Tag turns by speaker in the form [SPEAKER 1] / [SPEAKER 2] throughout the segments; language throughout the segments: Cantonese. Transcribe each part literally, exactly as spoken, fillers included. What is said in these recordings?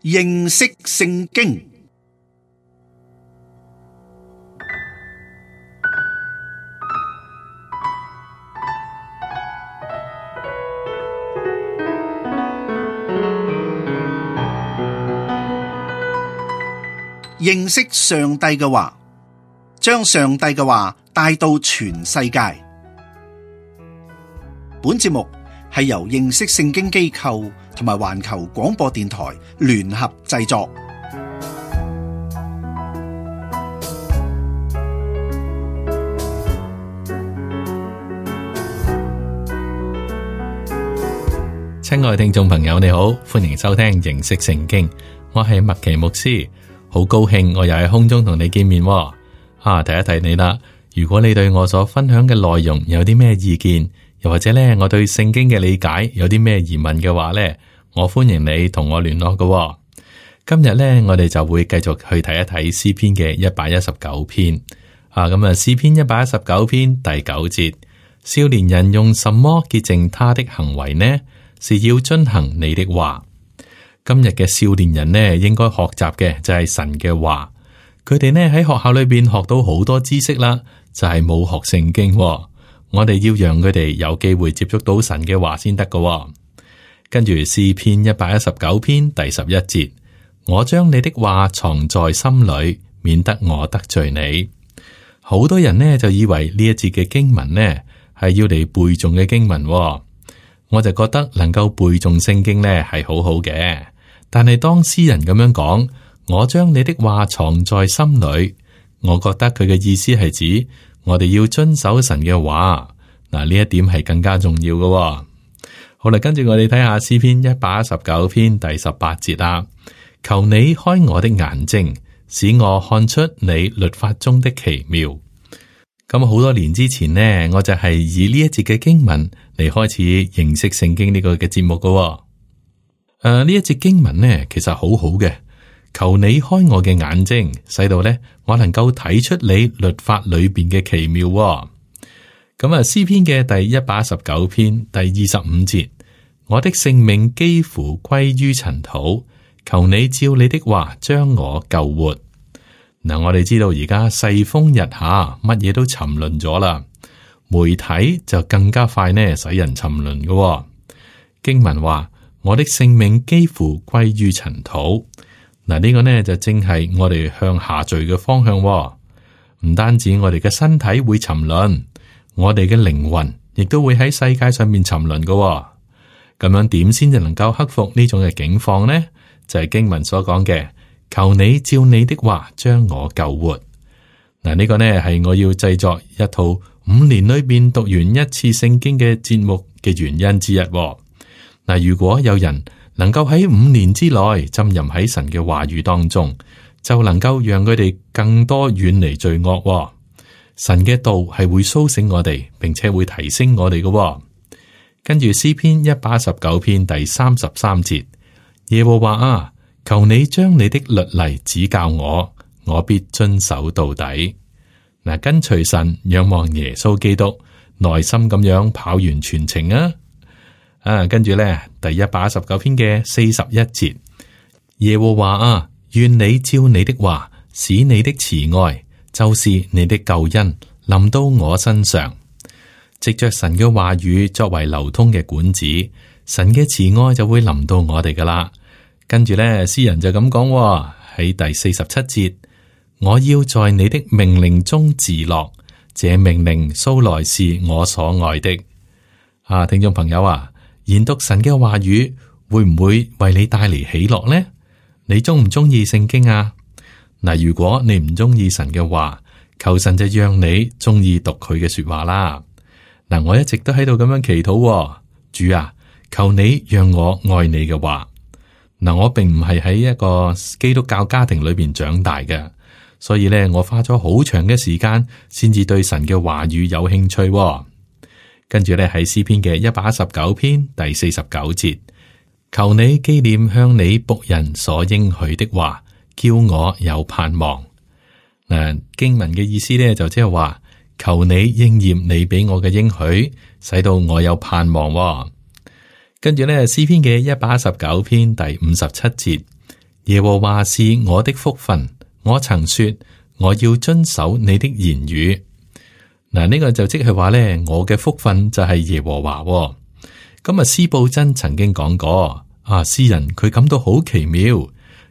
[SPEAKER 1] 認識聖經。認識上帝嘅話，將上帝嘅話帶到全世界。本節目係由認識聖經機構同埋環球廣播電台聯合製作。
[SPEAKER 2] 親愛的聽眾朋友，你好，歡迎收聽認識聖經，我係麥奇牧師，好高興我又喺空中同你見面。啊，提一提你啦，如果你對我所分享嘅內容有啲咩意見，又或者咧，我對聖經嘅理解有啲咩疑問嘅話咧，我歡迎你同我聯絡嘅。今日咧，我哋就會繼續去睇一睇詩篇嘅一百一十九篇。啊，咁啊，詩篇一百一十九篇第九節，少年人用什麼潔淨他的行為呢？是要遵行你的話。今日嘅少年人呢，應該學習嘅就係神嘅話。佢哋呢喺學校裏邊學到好多知識啦，就係冇學聖經。我哋要讓佢哋有機會接觸到神嘅話先得㗎。跟住詩篇一百一十九篇第十一節，我將你的話藏在心裏，免得我得罪你。好多人呢就以為呢一節嘅經文呢係要嚟背誦嘅經文，我就覺得能夠背誦聖經呢係好好嘅。但係當詩人咁樣講，我將你的話藏在心裏，我覺得佢嘅意思係指我哋要遵守神嘅話。嗱，呢一點係更加重要嘅。好啦，跟住我哋睇下詩篇一百一十九篇第十八節啦。求你開我的眼睛，使我看出你律法中的奇妙。咁好多年之前呢，我就係以呢一節嘅經文嚟開始認識聖經呢個嘅節目嘅。誒、呃，呢一節經文呢，其實好好嘅。求你開我嘅眼睛，使到呢我能夠睇出你律法裏邊嘅奇妙。咁啊，詩篇嘅第一百一十九篇第二十五節，我的性命幾乎歸於塵土，求你照你的話將我救活。嗱，我哋知道而家世風日下，乜嘢都沉淪咗啦，媒體就更加快呢使人沉淪嘅。經文話，我的性命幾乎歸於塵土。嗱，呢個呢就正係我哋向下墜嘅方向。唔單止我哋嘅身體會沉淪，我哋嘅靈魂亦都會喺世界上面沉淪嘅。咁樣點先至能夠克服呢種嘅境況呢？就係、是、經文所講嘅。求你照你的話將我救活。嗱，呢個呢係我要製作一套五年裏邊讀完一次聖經嘅節目嘅原因之一。嗱，如果有人能夠喺五年之內浸淫喺神嘅話語當中，就能夠讓佢哋更多遠離罪惡。神嘅道係會蘇醒我哋，並且會提升我哋嘅。跟住詩篇一百一十九篇第三十三節，耶和華啊，求你將你的律例指教我，我必遵守到底。嗱，跟隨神，仰望耶穌基督，耐心咁樣跑完全程啊！啊，跟住咧，第一百一十九篇嘅四十一節，耶和華啊，願你照你的話，使你的慈愛，就是你的救恩，臨到我身上。藉着神嘅話語作為流通嘅管子，神嘅慈愛就會臨到我哋噶啦。跟住咧，詩人就咁講喺第四十七節，我要在你的命令中自樂，這命令素來是我所愛的。啊，聽眾朋友啊，研讀神嘅話語會唔會為你帶嚟喜樂呢？你中唔中意聖經啊？嗱，如果你唔中意神嘅話，求神就讓你中意讀佢嘅說話啦。嗱，我一直都喺度咁樣祈禱，主啊，求你讓我愛你嘅話。嗱，我並唔係喺一個基督教家庭裏邊長大嘅，所以咧，我花咗好長嘅時間先至對神嘅話語有興趣。跟住咧，喺詩篇嘅一百一十九篇第四十九節，求你紀念向你僕人所應許的話，叫我有盼望。嗱，經文嘅意思咧就即係話，求你應驗你俾我嘅應許，使到我有盼望。跟住咧，詩篇嘅一百一十九篇第五十七節，耶和華是我的福分，我曾說我要遵守你的言語。嗱，呢個就即係話咧，我嘅福分就係耶和華。咁啊，司布真曾經講過，啊，詩人佢感到好奇妙，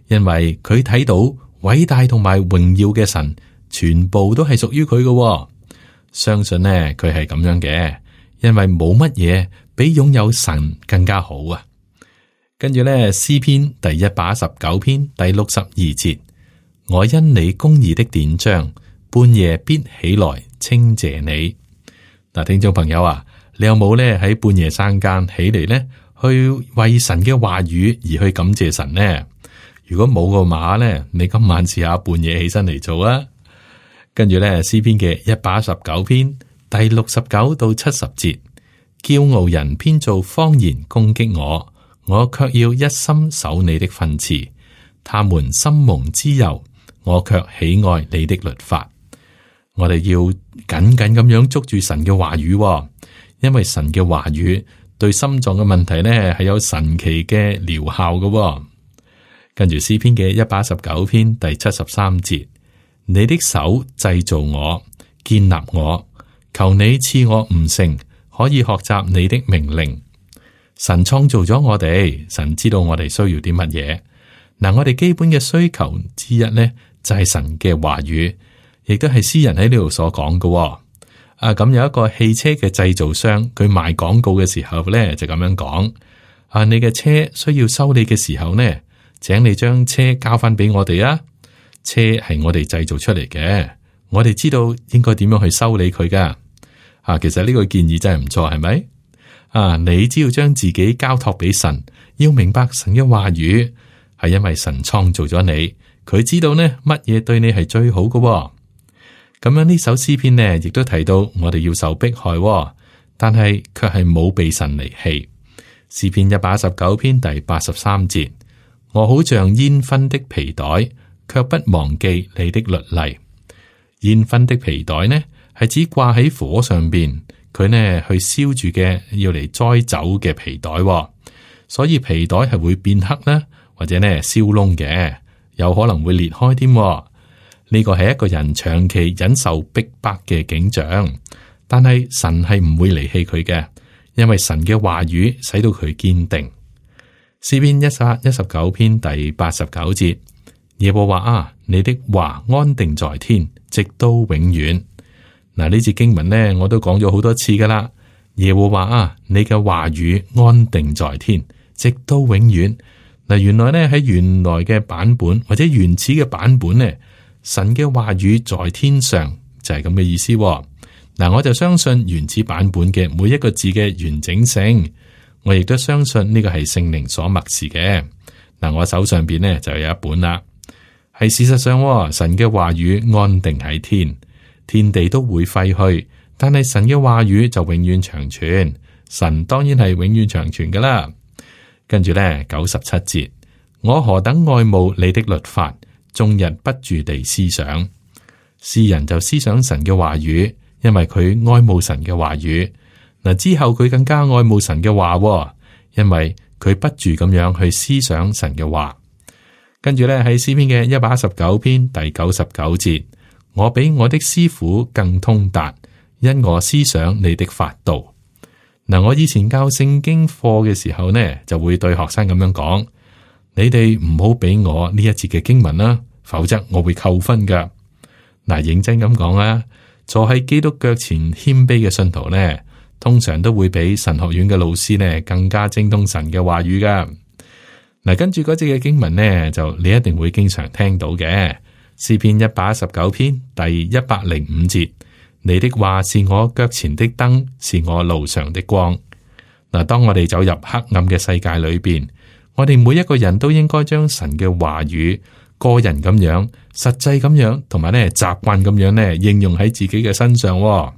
[SPEAKER 2] 因為佢睇到偉大同埋榮耀嘅神，全部都係屬於佢嘅。相信呢，佢係咁樣嘅，因為冇乜嘢比擁有神更加好啊。跟住咧，詩篇第一百一十九篇第六十二節，我因你公義的典章，半夜必起來稱謝你。嗱，聽眾朋友啊，你有冇咧喺半夜三更起嚟咧，去為神嘅話語而去感謝神呢？如果冇個話咧，你今晚試下半夜起身嚟做啊！跟住咧，詩篇嘅一百一十九篇第六十九到七十節，驕傲人編造謊言攻擊我，我卻要一心守你的訓詞。他們心蒙脂油，我卻喜愛你的律法。我哋要緊緊咁樣捉住神嘅話語，因為神嘅話語對心臟嘅問題呢係有神奇嘅療效嘅。跟住詩篇嘅一百一十九篇第七十三節，你的手製造我，建立我，求你賜我悟性，可以學習你的命令。神創造咗我哋，神知道我哋需要啲乜嘢。嗱，我哋基本嘅需求之一呢，就係神嘅話語，亦都係詩人喺呢度所講嘅。啊，咁有一個汽車嘅製造商，佢賣廣告嘅時候呢，就咁樣講：啊，你嘅車需要修理嘅時候呢，請你將車交翻俾我哋啊。車係我哋製造出嚟嘅，我哋知道應該點樣去修理佢噶。啊，其實呢個建議真係唔錯，係咪？啊，你只要將自己交託俾神，要明白神嘅話語，係因為神創造咗你，佢知道呢乜嘢對你係最好嘅。咁樣呢首詩篇呢，亦都提到我哋要受迫害，但係卻係冇被神離棄。詩篇一百一十九篇第八十三節，我好像煙熏的皮袋，卻不忘記你的律例。煙熏的皮袋呢，係指掛喺火上邊，佢呢去燒住嘅，要嚟栽酒嘅皮袋。所以皮袋係會變黑啦，或者呢燒窿嘅，有可能會裂開添。呢個係一個人長期忍受逼迫嘅景象，但係神係唔會離棄佢嘅，因為神嘅話語使到佢堅定。詩篇一百一十九篇第八十九節，耶和華啊，你的話安定在天，直到永遠。嗱，呢節經文呢，我都講咗好多次噶啦。耶和華啊，你嘅話語安定在天，直到永遠。嗱，原來呢，喺原來嘅版本或者原始嘅版本呢，神嘅話語在天上就係咁嘅意思。嗱，我就相信原始版本嘅每一個字嘅完整性，我亦都相信呢個係聖靈所默示嘅。嗱，我手上邊呢就有一本啦，係事實上神嘅話語安定喺天，天地都會廢去，但係神嘅話語就永遠長存。神當然係永遠長存噶啦。跟住呢，九十七節，我何等愛慕你的律法，終日不住地思想。詩人就思想神嘅話語，因為佢愛慕神嘅話語。嗱，之後佢更加愛慕神嘅話，因為佢不住咁樣去思想神嘅話。跟住咧，喺詩篇嘅一百一十九篇第九十九節，我比我的師傅更通達，因我思想你的法度。嗱，我以前教聖經課嘅時候呢，就會對學生咁樣講：你哋唔好俾我呢一節嘅經文啦，否則我會扣分噶。嗱，認真咁講啊，坐喺基督腳前謙卑嘅信徒呢，通常都會比神學院嘅老師呢更加精通神嘅話語噶。嗱，跟住嗰節嘅經文呢，就你一定會經常聽到嘅，詩篇一百一十九篇第一百零五節，你的話是我腳前的燈，是我路上的光。嗱，當我哋走入黑暗嘅世界裏邊，我哋每一個人都應該將神嘅話語個人咁樣、實際咁樣，同埋咧習慣咁樣咧應用喺自己嘅身上。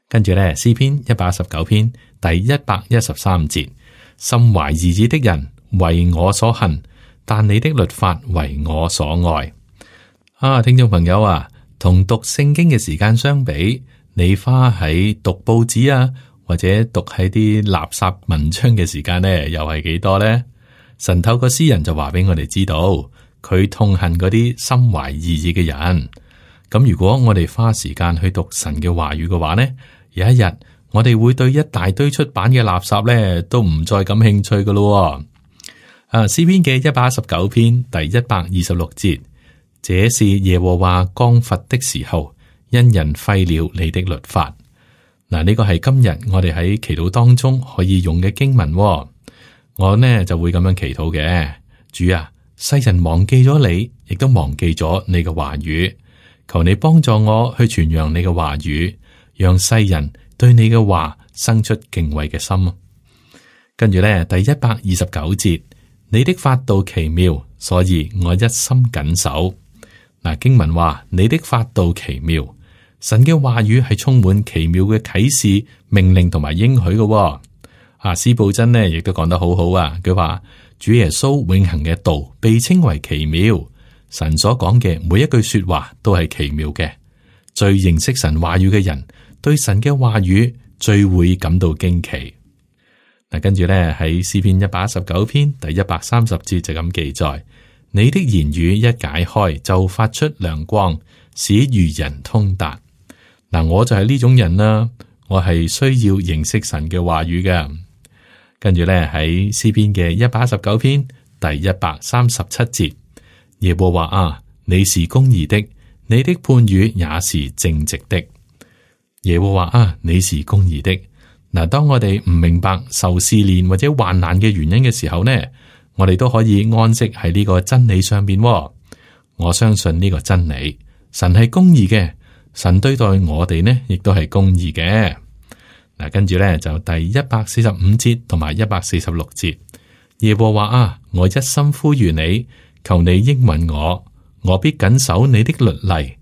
[SPEAKER 2] 跟住咧，詩篇一百一十九篇第一百一十三節，心懷二意的人為我所恨，但你的律法為我所愛。啊，聽眾朋友啊，同讀聖經嘅時間相比，你花喺讀報紙啊，或者讀喺啲垃圾文章嘅時間呢，又係幾多呢？神透過詩人就話俾我哋知道，佢痛恨嗰啲心懷異意嘅人。咁如果我哋花時間去讀神嘅話語嘅話呢，有一日我哋會對一大堆出版嘅垃圾呢都唔再感興趣噶咯。啊，詩篇嘅一百一十九篇第一百二十六節，這是耶和華降罰的時候，因人廢了你的律法。嗱，呢個係今日我哋喺祈禱當中可以用嘅經文。我呢就會咁樣祈禱嘅，主啊，世人忘記咗你，亦都忘記咗你嘅話語，求你幫助我去傳揚你嘅話語，讓世人對你嘅話生出敬畏嘅心。跟住呢，第一百二十九節，你的法度奇妙，所以我一心謹守。嗱，經文話你的法度奇妙，神嘅話語係充滿奇妙嘅啟示、命令同埋應許嘅。啊，司布真呢亦都講得好好啊，佢話主耶穌永恆嘅道被稱為奇妙，神所講嘅每一句說話都係奇妙嘅。最認識神話語嘅人，對神嘅話語最會感到驚奇。嗱，跟住咧喺詩篇一百一十九篇第一百三十節就咁記載：你的言語一解開，就發出亮光，使愚人通達。嗱，我就係呢種人啦，我係需要認識神嘅話語嘅。跟住咧喺詩篇嘅一百一十九篇第一百三十七節，耶和華啊，你是公義的，你的判語也是正直的。耶和華啊，你是公義的。嗱，當我哋唔明白受試煉或者患難嘅原因嘅時候呢，我哋都可以安息喺呢個真理上邊。我相信呢個真理，神係公義嘅，神對待我哋呢亦都係公義嘅。嗱，跟住咧就第一百四十五節同埋一百四十六節，耶和華啊，我一心呼籲你，求你應允我，我必謹守你的律例。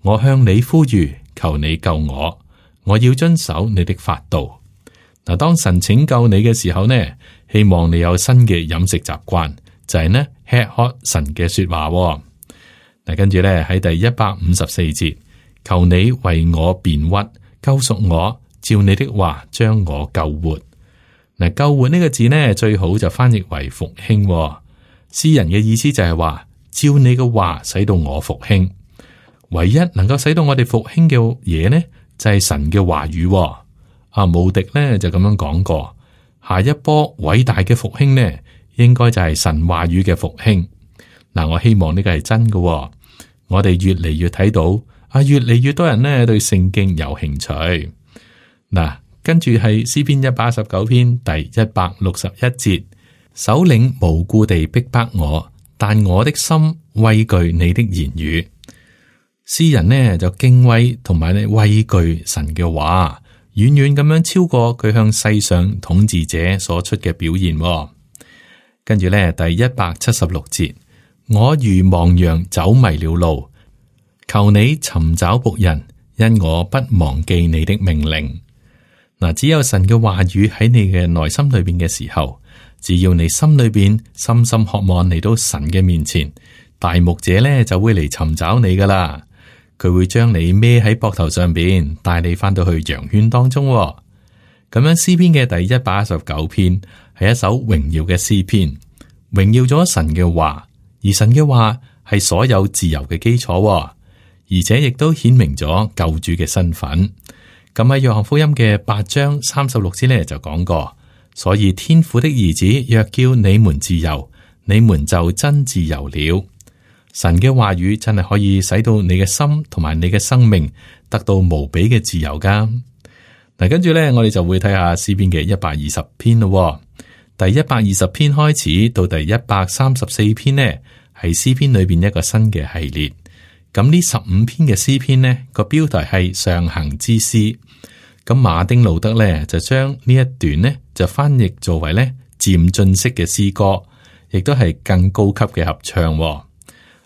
[SPEAKER 2] 我向你呼籲，求你救我，我要遵守你的法度。嗱，當神拯救你嘅時候呢，希望你有新嘅飲食習慣，就係、是、呢吃喝神嘅說話。嗱，跟住咧喺第一百五十四節，求你為我辯屈，救贖我。照你的話將我救活。嗱，救活呢個字呢，最好就翻譯為復興。詩人嘅意思就係話，照你嘅話使到我復興。唯一能夠使到我哋復興嘅嘢呢，就係神嘅話語。阿慕迪呢就咁樣講過，下一波偉大嘅復興呢，應該就係神話語嘅復興。嗱，我希望呢個係真嘅。我哋越嚟越睇到啊，越嚟越多人呢對聖經有興趣。嗱，跟住係詩篇一百一十九篇第一百六十一節，首領無故地逼迫我，但我的心畏懼你的言語。詩人呢就敬畏同埋呢畏懼神嘅話，遠遠咁樣超過佢向世上統治者所出嘅表現。跟住呢第一百七十六節，我如亡羊走迷了路，求你尋找僕人，因我不忘記你的命令。嗱，只有神嘅話語喺你嘅內心裏邊嘅時候，只要你心裏邊深深渴望嚟到神嘅面前，大牧者咧就會嚟尋找你噶啦。佢會將你孭喺膊頭上邊，帶你翻到去羊圈當中。咁樣詩篇嘅第一百一十九篇係一首榮耀嘅詩篇，榮耀咗神嘅話，而神嘅話係所有自由嘅基礎，而且亦都顯明咗救主嘅身份。咁喺約翰福音嘅八章三十六節咧就講過，所以天父的兒子若叫你們自由，你們就真自由了。神嘅話語真係可以使到你嘅心同埋你嘅生命得到無比嘅自由噶。嗱，跟住咧我哋就會睇下詩篇嘅一百二十篇咯。第一百二十篇開始到第一百三十四篇呢，係詩篇裏邊一個新嘅系列。咁呢十五篇嘅詩篇呢，個標題係上行之詩。咁馬丁路德咧就將呢一段呢就翻譯作為咧漸進式嘅詩歌，亦都係更高級嘅合唱。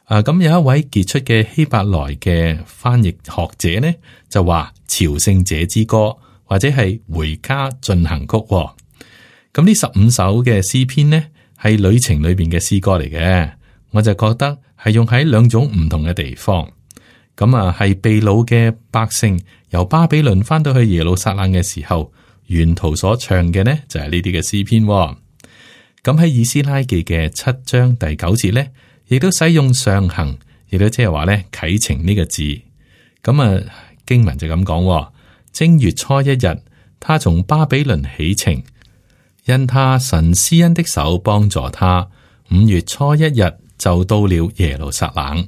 [SPEAKER 2] 啊，咁有一位傑出嘅希伯來嘅翻譯學者呢，就話朝聖者之歌或者係回家進行曲。咁呢十五首嘅詩篇呢係旅程裏邊嘅詩歌嚟嘅，我就覺得係用喺兩種唔同嘅地方。咁啊，係被擄嘅百姓由巴比倫翻到去耶路撒冷嘅時候，沿途所唱嘅呢就係呢啲嘅詩篇。咁喺以斯拉記嘅七章第九節呢，亦都使用上行，亦都即係話咧啟程呢個字。咁啊經文就咁講：正月初一日，他從巴比倫起程，因他神施恩的手幫助他。五月初一日就到了耶路撒冷。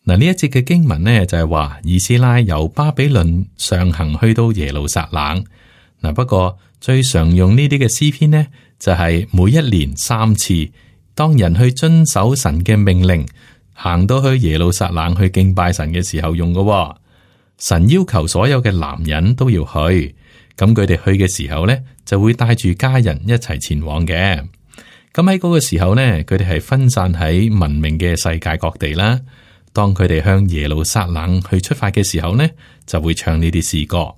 [SPEAKER 2] 嗱，呢一節嘅經文呢，就係話以斯拉由巴比倫上行去到耶路撒冷。嗱，不過最常用呢啲嘅詩篇呢，就係每一年三次，當人去遵守神嘅命令，行到去耶路撒冷去敬拜神嘅時候用嘅。神要求所有嘅男人都要去，咁佢哋去嘅時候呢，就會帶住家人一齊前往嘅。咁喺嗰個時候呢，佢哋係分散喺文明嘅世界各地啦。當佢哋向耶路撒冷去出發嘅時候呢，就會唱呢啲詩歌。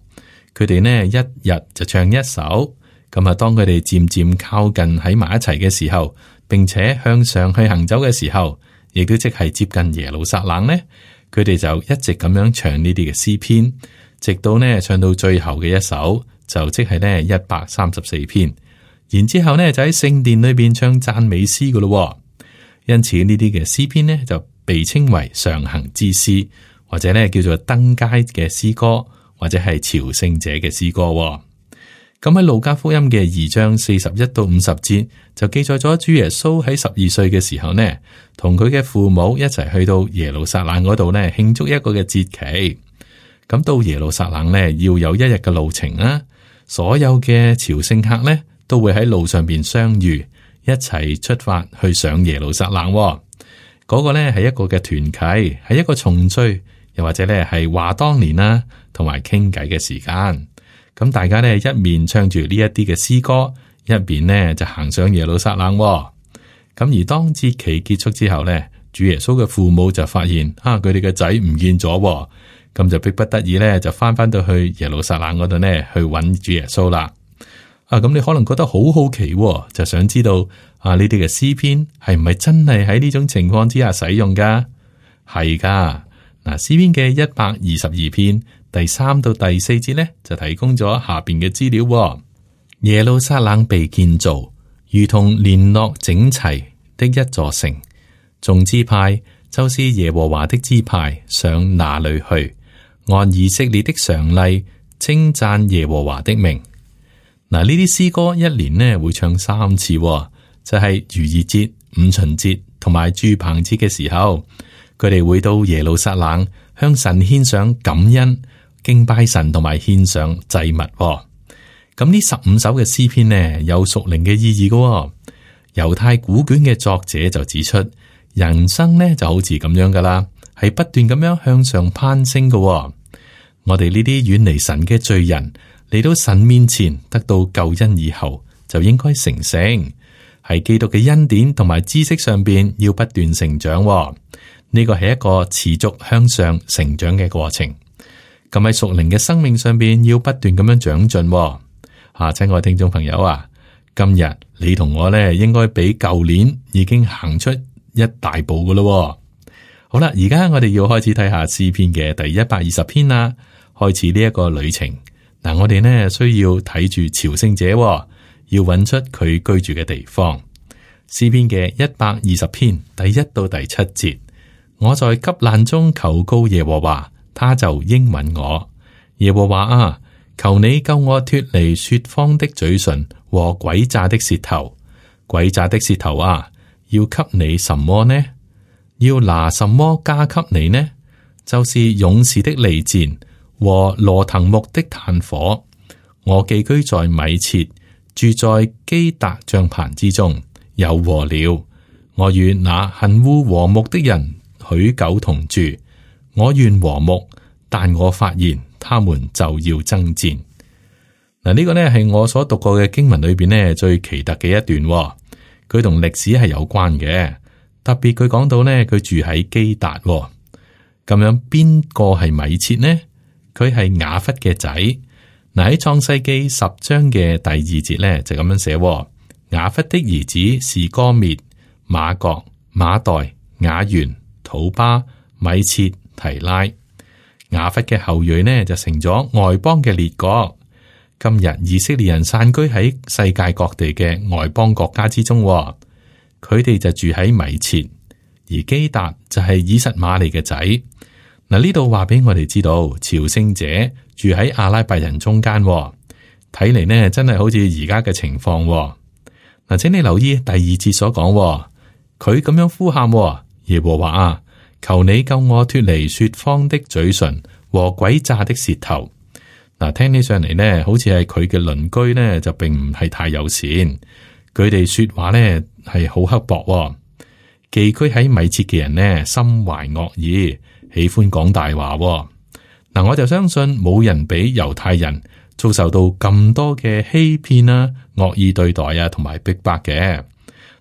[SPEAKER 2] 佢哋呢一日就唱一首。咁啊，當佢哋漸漸靠近喺埋一齊嘅時候，並且向上去行走嘅時候，亦都即係接近耶路撒冷呢，佢哋就一直咁樣唱呢啲嘅詩篇，直到呢唱到最後嘅一首，就即係呢一百三十四篇。然之後呢就喺聖殿裏邊唱讚美詩噶咯。因此呢啲嘅詩篇呢就被稱為上行之詩，或者呢叫做登階嘅詩歌，或者係朝聖者嘅詩歌。咁喺路加福音嘅二章四十一到五十節就記載咗主耶穌喺十二歲嘅時候呢，同佢嘅父母一齊去到耶路撒冷嗰度呢慶祝一個嘅節期。咁到耶路撒冷呢要有一日嘅路程啦，所有嘅朝聖客呢都會喺路上邊相遇，一齊出發去上耶路撒冷。嗰、那個呢係一個嘅團契，係一個重聚，又或者呢係話當年啦，同埋傾偈嘅時間。咁大家呢一面唱住呢一啲嘅詩歌，一邊呢就行上耶路撒冷。咁而當節期結束之後呢，主耶穌嘅父母就發現啊，佢哋嘅仔唔見咗，咁就迫不得已呢就翻翻到去耶路撒冷嗰度呢去揾主耶穌啦。啊，咁你可能覺得好好奇，就想知道啊呢啲嘅詩篇係唔係真係喺呢種情況之下使用噶？係噶。嗱，詩篇嘅一百二十二篇第三到第四節呢，就提供咗下邊嘅資料。耶路撒冷被建造，如同聯絡整齊的一座城。眾支派就是耶和華的支派，上哪裏去？按以色列的常例，稱讚耶和華的名。嗱，呢啲詩歌一年呢會唱三次，就係逾越節、五旬節同埋住棚節嘅時候，佢哋會到耶路撒冷向神獻上感恩、敬拜神同埋獻上祭物。咁呢十五首嘅詩篇呢有屬靈嘅意義噶。猶太古卷嘅作者就指出，人生呢就好似咁樣噶啦，係不斷咁樣向上攀升噶。我哋呢啲遠離神嘅罪人，嚟到神面前得到救恩以後，就應該成聖，喺基督嘅恩典同埋知識上邊要不斷成長。呢個係一個持續向上成長嘅過程。咁喺屬靈嘅生命上邊要不斷咁樣長進。啊，親愛聽眾朋友啊，今日你同我咧應該比舊年已經行出一大步噶咯。好啦，而家我哋要開始睇下詩篇嘅第一百二十篇啦，開始呢一個旅程。嗱，我哋呢需要睇住朝聖者，要揾出佢居住嘅地方。詩篇嘅一百二十篇第一到第七節，我在急難中求告耶和華，他就應允我。耶和華啊，求你救我脫離說謊的嘴唇和詭詐的舌頭。詭詐的舌頭啊，要給你什麼呢？要拿什麼加給你呢？就是勇士的利箭和羅藤木的炭火。我寄居在米設，住在基達帳棚之中，有禍了。我與那恨惡和睦的人許久同住。我願和睦，但我發現他們就要爭戰。嗱，呢個呢係我所讀過嘅經文裏邊呢最奇特嘅一段，佢同歷史係有關嘅。特別佢講到呢，佢住喺基達，咁樣邊個係米設呢？佢係雅弗嘅仔。嗱，喺創世記十章嘅第二節呢，就咁樣寫：雅弗的兒子是歌篾、瑪各、馬代、雅完、土巴、米設、提拉。雅弗嘅後裔呢就成咗外邦嘅列國。今日以色列人散居喺世界各地嘅外邦國家之中，佢哋就住喺米設，而基達就係以實瑪利嘅仔。嗱，呢度話俾我哋知道，朝聖者住喺阿拉伯人中間，睇嚟呢真係好似而家嘅情況。嗱，請你留意第二節所講，佢咁樣呼喊，耶和華啊，求你救我脫離說謊的嘴唇和詭詐的舌頭。嗱，聽起上嚟呢，好似係佢嘅鄰居呢，就並唔係太友善。佢哋說話呢係好刻薄，寄居喺米設嘅人呢，心懷惡意，喜歡講大話。嗱，我就相信冇人比猶太人遭受到咁多嘅欺騙啊、惡意對待啊，同埋逼迫嘅。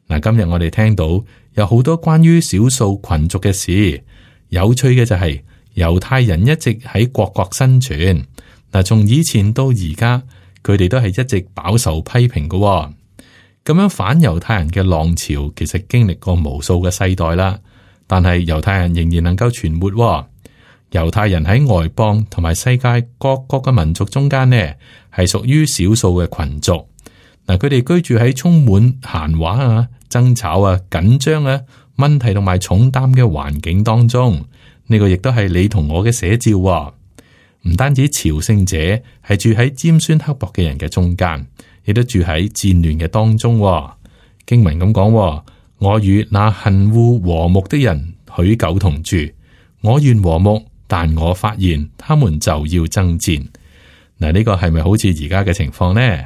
[SPEAKER 2] 嗱，今日我哋聽到有好多關於少數群族嘅事，有趣嘅就係猶太人一直喺各國生存。嗱，從以前到而家，佢哋都係一直飽受批評嘅。咁樣反猶太人嘅浪潮，其實經歷過無數嘅世代啦。但係猶太人仍然能夠存活。猶太人喺外邦同埋世界各國嘅民族中間呢，係屬於少數嘅群族。嗱，佢哋居住喺充滿閒話啊、爭吵啊、緊張啊、問題同埋重擔嘅環境當中。呢個亦都係你同我嘅寫照。唔單止朝聖者係住喺尖酸刻薄嘅人嘅中間，亦都住喺戰亂嘅當中。經文咁講，我與那恨惡和睦的人許久同住，我願和睦，但我發現他們就要爭戰。嗱，呢個係咪好似而家嘅情況呢？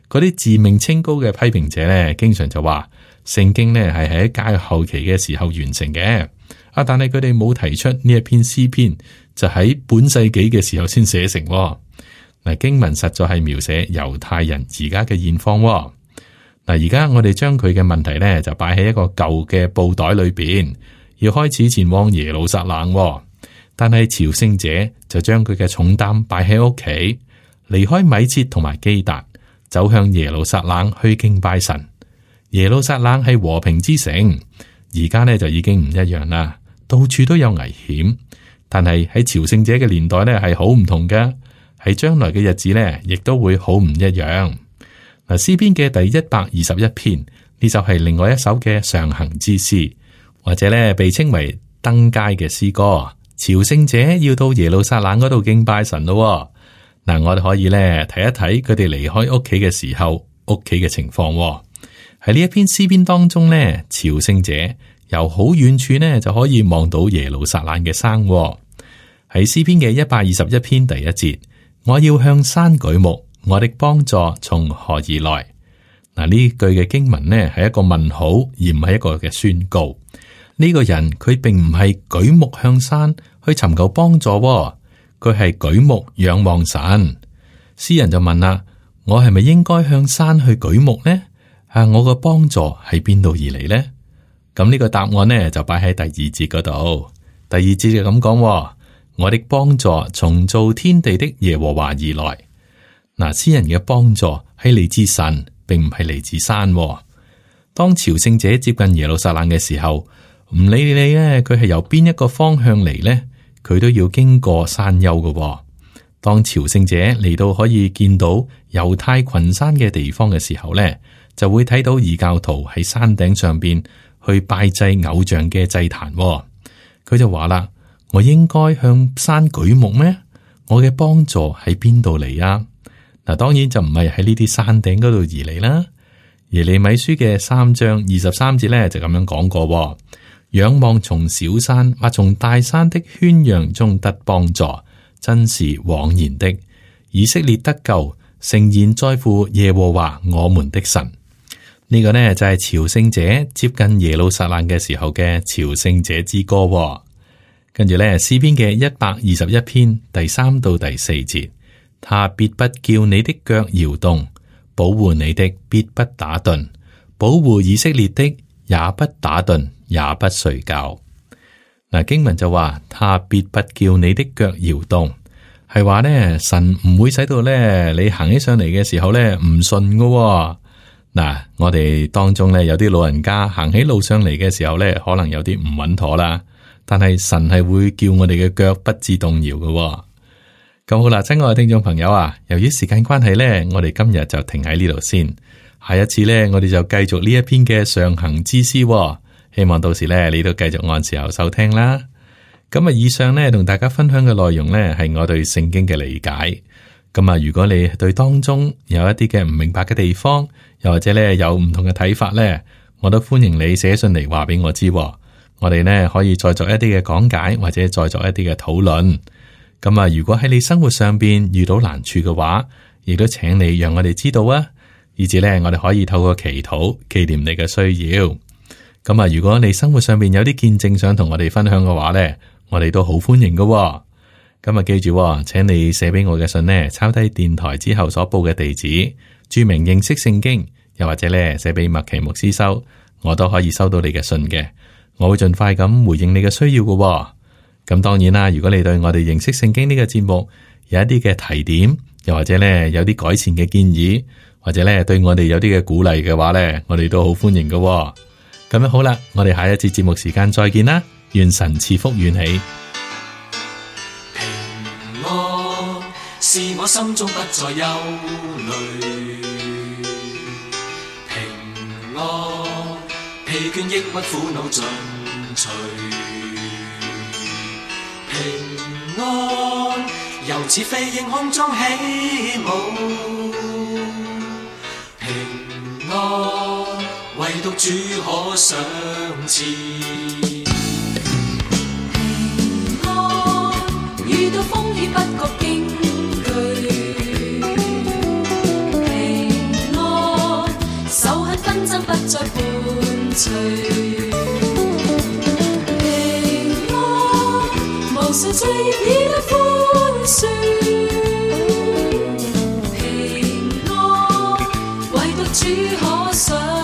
[SPEAKER 2] 嗰啲自命清高嘅批評者呢，經常就話聖經呢係喺教後期嘅時候完成嘅。啊，但係佢哋冇提出呢一篇詩篇就喺本世紀嘅時候先寫成。嗱，經文實在係描寫猶太人而家嘅現況。嗱，而家我哋將佢嘅問題呢就擺喺一個舊嘅布袋裏邊，要開始前往耶路撒冷。但係朝聖者就將佢嘅重擔擺喺屋企，離開米設同埋基達，走向耶路撒冷去敬拜神。耶路撒冷係和平之城，而家呢就已經唔一樣啦，到處都有危險。但係喺朝聖者嘅年代呢係好唔同嘅，喺將來嘅日子呢亦都會好唔一樣。嗱，詩篇嘅第一百二十一篇呢就係另外一首嘅上行之詩，或者呢被稱為登階嘅詩歌。朝聖者要到耶路撒冷嗰度敬拜神咯。嗱，我哋可以咧睇一睇佢哋離開屋企嘅時候，屋企嘅情況。喺呢一篇詩篇當中咧，朝聖者由好遠處呢就可以望到耶路撒冷嘅山。喺詩篇嘅一百二十一篇第一節，我要向山舉目，我的幫助從何而來？嗱，呢句嘅經文呢係一個問號，而唔係一個嘅宣告。呢個人佢並唔係舉目向山去尋求幫助，佢係舉目仰望神。詩人就問啦：我係咪應該向山去舉目呢？啊，我個幫助喺邊度而嚟呢？咁呢個答案呢就擺喺第二節嗰度。第二節就咁講：我的幫助從造天地的耶和華而來。嗱，詩人嘅幫助係嚟自神，並唔係嚟自山。當朝聖者接近耶路撒冷嘅時候，唔理你咧，佢係由邊一個方向嚟呢，佢都要經過山丘嘅。當朝聖者嚟到可以見到猶太群山嘅地方嘅時候咧，就會睇到異教徒喺山頂上邊去拜祭偶像嘅祭壇。佢就話啦：我應該向山舉目咩？我嘅幫助喺邊度嚟啊？嗱，當然就唔係喺呢啲山頂嗰度而嚟啦。耶利米書嘅三章二十三節咧就咁樣講過。仰望從小山或從大山的圈養中得幫助，真是枉然的。以色列得救，誠然在乎耶和華我們的神。呢、這個呢就係、是、朝聖者接近耶路撒冷嘅時候嘅朝聖者之歌。跟住呢詩篇嘅一百二十一篇第三到第四節，他必不叫你的腳搖動，保護你的必不打盹，保護以色列的也不打盹，也不睡覺。嗱，經文就話，他必不叫你的腳搖動，係話呢，神唔會使到咧你行起上嚟嘅時候咧唔順噶。嗱，我哋當中咧有啲老人家行起路上嚟嘅時候咧，可能有啲唔穩妥啦，但係神係會叫我哋嘅腳不致動搖噶。咁好啦，親愛嘅聽眾朋友啊，由於時間關係呢，我哋今日就停喺呢度先。下一次呢，我哋就繼續呢一篇嘅上行之詩喎。希望到時呢，你都繼續按時候收聽啦。咁啊，以上呢，同大家分享嘅內容呢，係我對聖經嘅理解。咁啊，如果你對當中有一啲嘅唔明白嘅地方，又或者呢有唔同嘅睇法呢，我都歡迎你寫信嚟話俾我知喎。我哋呢可以再作一啲嘅講解，或者再作一啲嘅討論。咁啊，如果喺你生活上邊遇到難處嘅話，亦都請你讓我哋知道啊，以至咧我哋可以透過祈禱紀念你嘅需要。咁啊，如果你生活上邊有啲見證想同我哋分享嘅話咧，我哋都好歡迎噶。咁啊，記住，請你寫俾我嘅信呢，抄低電台之後所報嘅地址，注明認識聖經，又或者咧寫俾麥奇牧師收，我都可以收到你嘅信嘅。我會盡快咁回應你嘅需要噶。咁當然啦，如果你對我哋認識聖經呢個節目有一啲嘅提點，又或者咧有啲改善嘅建議，或者咧對我哋有啲嘅鼓勵嘅話咧，我哋都好歡迎嘅。咁樣好啦，我哋下一次節目時間再見啦，願神賜福遠起。
[SPEAKER 3] 平安是我心中不再憂慮，平安疲倦抑鬱苦惱盡除。平安由似飛鷹空中起舞，平安唯獨主可賞賜。
[SPEAKER 4] 平安遇到風險不覺驚懼，平安仇恨紛爭不再伴隨。無數罪孽得寬恕，平安唯獨主可賞。